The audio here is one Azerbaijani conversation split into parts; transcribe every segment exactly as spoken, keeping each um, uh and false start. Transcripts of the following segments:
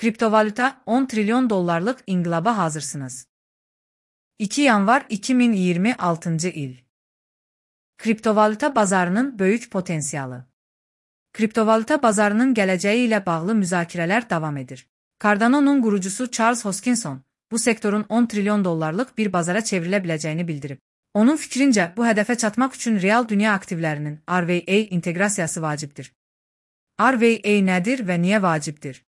Kriptovalyuta on trilyon dollarlık inqilaba hazırsınız. iki yanvar iki min iyirmi altıncı il. Kriptovalyuta bazarının böyük potensialı. Kriptovalyuta bazarının gələcəyi ilə bağlı müzakirələr davam edir. Cardano'nun qurucusu Charles Hoskinson, bu sektorun on trilyon dollarlık bir bazara çevrilə biləcəyini bildirib. Onun fikrincə, bu hədəfə çatmaq üçün real dünya aktivlərinin R V A inteqrasiyası vacibdir. R V A nədir və niyə vacibdir?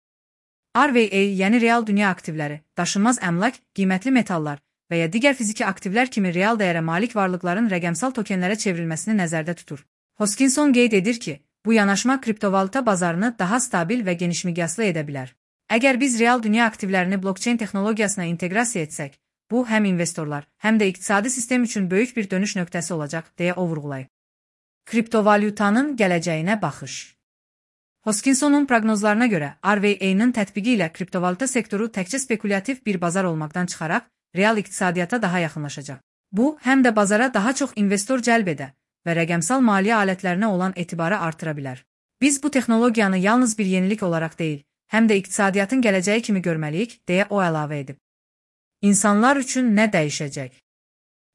R V A, yəni real dünya aktivləri, daşınmaz əmlak, qiymətli metallar və ya digər fiziki aktivlər kimi real dəyərə malik varlıqların rəqəmsal tokenlərə çevrilməsini nəzərdə tutur. Hoskinson qeyd edir ki, bu yanaşma kriptovalyuta bazarını daha stabil və genişmiqyaslı edə bilər. Əgər biz real dünya aktivlərini blockchain texnologiyasına inteqrasiya etsək, bu həm investorlar, həm də iqtisadi sistem üçün böyük bir dönüş nöqtəsi olacaq, deyə o vurğulayıb. Kriptovalyutanın gələcəyinə baxış. Hoskinsonun proqnozlarına görə R V A-nın tətbiqi ilə kriptovalyuta sektoru təkcə spekulativ bir bazar olmaqdan çıxaraq, real iqtisadiyyata daha yaxınlaşacaq. Bu, həm də bazara daha çox investor cəlb edə və rəqəmsal maliyyə alətlərinə olan etibarı artıra bilər. Biz bu texnologiyanı yalnız bir yenilik olaraq deyil, həm də iqtisadiyyatın gələcəyi kimi görməliyik, deyə o əlavə edib. İnsanlar üçün nə dəyişəcək?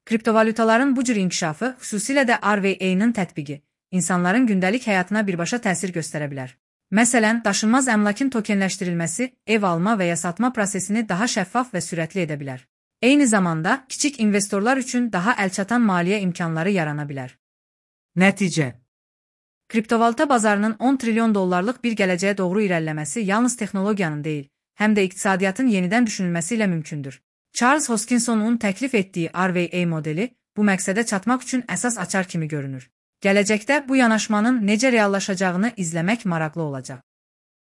Kriptovalyutaların bu cür inkişafı, xüsusilə də R V A-nın tətbiqi, insanların gündəlik həyatına birbaşa təsir göstərə bilər. Məsələn, daşınmaz əmlakın tokenləşdirilməsi ev alma və ya satma prosesini daha şəffaf və sürətli edə bilər. Eyni zamanda, kiçik investorlar üçün daha əlçatan maliyyə imkanları yarana bilər. Nəticə. Kriptovalyuta bazarının on trilyon dollarlıq bir gələcəyə doğru irəliləməsi yalnız texnologiyanın deyil, həm də iqtisadiyyatın yenidən düşünülməsi ilə mümkündür. Charles Hoskinsonun təklif etdiyi R V A modeli bu məqsədə çatmaq üçün əsas açar kimi görünür. Gələcəkdə bu yanaşmanın necə reallaşacağını izləmək maraqlı olacaq.